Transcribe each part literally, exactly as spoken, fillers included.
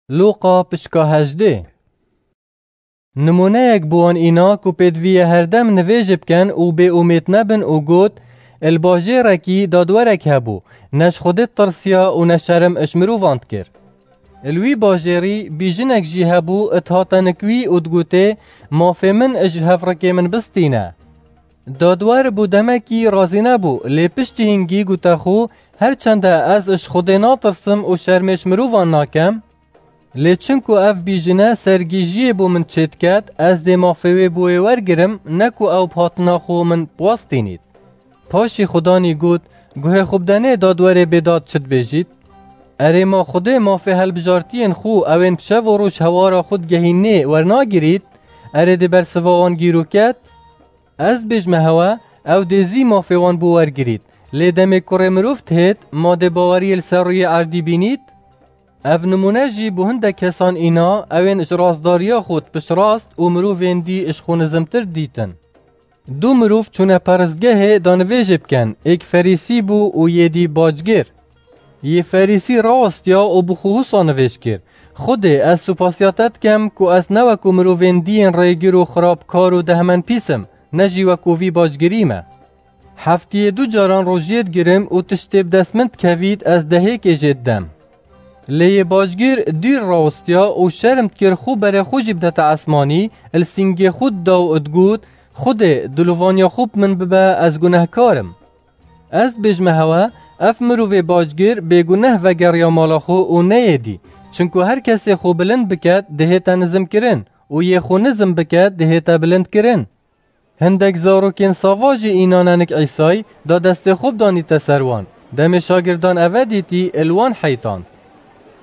Lûqa pişka hejdê. Nimûneyek bi wan îna ku pêdiviye herdem nivêjê bikin û bêumêd nebin û got, Li bajêrekî dadwerek hebû, ne ji Xwedê ditirsiya û ne şerim ji mirovan dikir. Li wî bajêrî bîjinek jî hebû, dihate nik wî û digotê, Mafê min ji hevrikê min bistîne. Dadwer bû demekî razî nebû, lê piştî hingî gote xwe, Her çende ez ji Xwedê natirsim û şermê ji mirovan nakem, lê çinku ev bîjine sergîjiyê bo min çêdiket, ez dê mafê wê bo wê wergirim, ne ku ew bi hatina xwe min biwestînît. Paşî Xudanî got, Guhê xwe bidenê dadwerê bêdad çi dibêjît? Erê, ma Xwedê mafê helbijartiyên xwe, ewên bi şev û roj hewara xwe digehînê, wernagirît? Erê, dê bersiva wan gîroket? Ez dibêjme hewe, ew dê zî mafê wan bo wergirît. Lê demê kurê mirov dihêt, ma dê baweriyê li ser rûyê erdî bînît? Ev nimûne jî bo hindek kesan îna, ewên ji rastdariya xwe dipiştrast û mirovên dî ji xwe nizimtir didîtin. Du mirov çûne peristgehê da nivêjê bikin, êk Ferîsî bû û yê dî bacgir. Yê Ferîsî rawestiya û bi xwe wisa nivêj kir, Xwedê, ez supasiya te dikim ku ez ne wekû mirovên dî yên rêgir û xirabkar û dehmenpîs im, ne jî wekû vî bacgirî me. Heftiyê du caran rojiyê digirim û tiştê bi dest min dikevît, ez dehêkê jê didem. Lê yê bacgir dûr rawestiya û şerm dikir xwe berê xwe jî bidete esmanî, li sîngê xwe dida û digot, Xwedê, dilovaniya xwe bi min bibe, ez gunehkar im. Ez dibêjme hewe, ev mirovê bacgir bêguneh vegeriya mala xwe û neyê dî. Çinku her kesê xwe bilind biket, dihête nizimkirin û yê xwe nizim biket, dihête bilindkirin. Hindek zarokên sava jî îna nenik Îsay, da destê xwe bidanîte ser wan. Demê şagirdan eve dîtî, li wan heytand.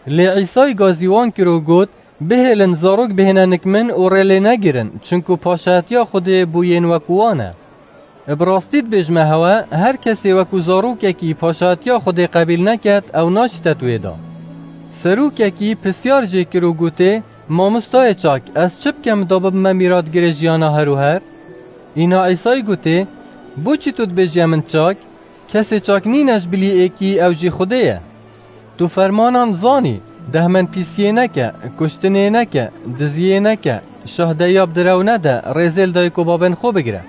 Lê Îsay gazî wan kir û got, Bihêlin zarok bihêne nik min û rê lê negirin, çinku paşayetiya Xwedê bo yên wekû wan e. Bi rastî dibêjme hewe, her kesê wekû zarokekî paşayetiya Xwedê qebîl neket, ew naşîte di wê de. Serokekî pisyar jê kir û gotê, Mamostayê çak, ez çi bikim da bibime mîratgirê jiyana her û her? Îna Îsay gotê, Bo çi tu dibêjî min çak? Kesê çak nîne ji bilî êkî, ew jî Xwedê ye. Tu fermanan zanî, dehmenpîsiyê neke, kuştinê neke, diziyê neke, şahdeya bi direw nede, rêzê li dayik û babên xwe bigire.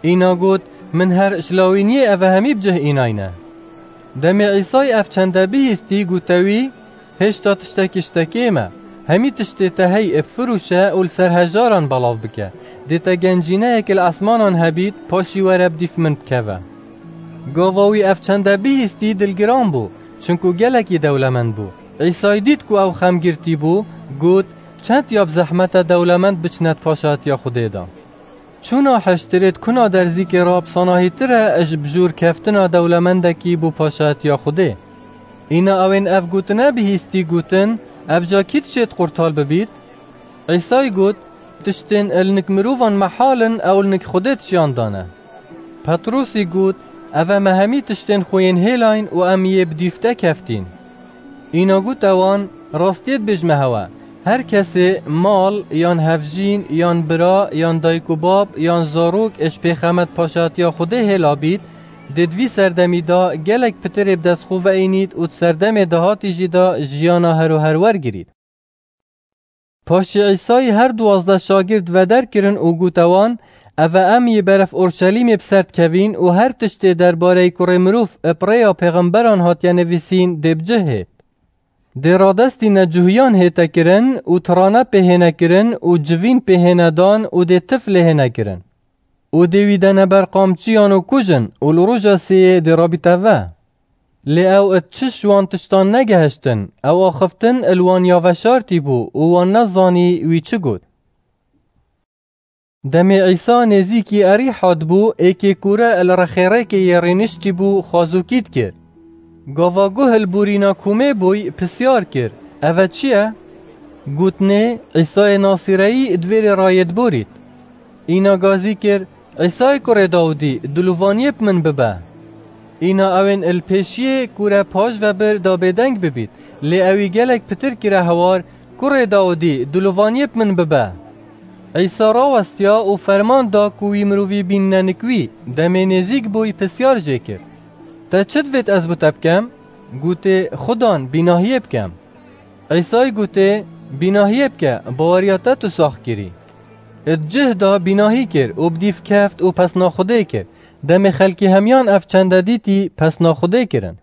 Îna got, Min her ji lawîniyê eve hemî bi cih înayne. Demê Îsay ev çende bihîstî, gote wî, Hêşta tiştekî ji te kêm e. Hemî tiştê te hey ê bifirûşe û li ser hejaran belav bike. Dê te gencîneyek li esmanan hebît, paşî were bi dîf min bikeve. Gava wî ev çende bihîstî dilgiran bû, çinku gelekî dewlemend bû. Îsay dît ku ew xemgirtî bû, got, Çend ya bi zehmet e dewlemend biçine di paşatiya Xwedê de. Çûna hiştirê di kuna derzîkê re bi sanahîtir e ji bijûrkeftina dewlemendekî bo paşatiya Xwedê. Îna ewên ev gotine bihîstî gotin, Ev ca kî dişêt qurtal bibît? Îsay got, Tiştên li nik mirovan mehal in, ew li nik Xwedê di jiyan de ne. Petrosî got, Ev e me hemî tiştên xwe yên hêlayn û em yê bi dîf te keftîn. Îna gote wan, Rastiyê dibêjme hewe, her kesê mal, yan hevjîn, yan bira, yan dayik û bab, yan zarok ji pêxemet paşatiya Xwedê hêla bît, dê di vî serdemî de gelek pitirê bi dest xwe veînît û di serdemê dahatî jî de jiyana her û her wergirît. Paşî Îsayî her duwazdeh şagird veder kirin û gote wan, Eve em yê beref Orşelîmê bi ser dikevîn û her tiştê derbareyî Kurê Mirov bi rêya pêxemberan hatiye nivîsîn dê bi cih hêt. Dê radestî necuhiyan hête kirin û tirane pê hêne kirin û civîn pê hêne dan û dê tif lê hêne kirin. Û dê wî dene ber qamçiyan û kujin û li roja sêyê dê rabîte ve. Lê ew it çi ji wan tiştan negehiştin, ew axiftin li wan ya veşartî bû û wan nezanî wî çi got. Demê Îsa nêzîkî Erîha dibû, êkê kûre li rexê rêkê yê rêniştî bû, xwazokî dikir. Gava guh li borîna komê bûy, pisyar kir, Eve çi ye? Gotinê, Îsayê Nasîreyî di vê rê rayê diborît. Îna gazî kir, Îsayê kurê Dawidî, dilovaniyê bi min bibe. Îna ewên li pêşiyê kûre paş ve bir da bêdeng bibît, lê ewî gelek pitir kire hewar, Kurê Dawidî, dilovaniyê bi min bibe. Îsa rawestiya û ferman da ku wî mirovî bînine nik wî, demê nêzîk bûy pisyar jê kir, Te çi divêt ez bo te bikem? Gotê, Xudan, bînahiyê bikem. Îsay gotê, bînahiyê bike, baweriya te tu sax kirî. Di cih de bînahî kir û bi dîv keft û pesna Xwedê kir. Demê xelkî hemiyan ev çende dîtî, pesna Xwedê kirin.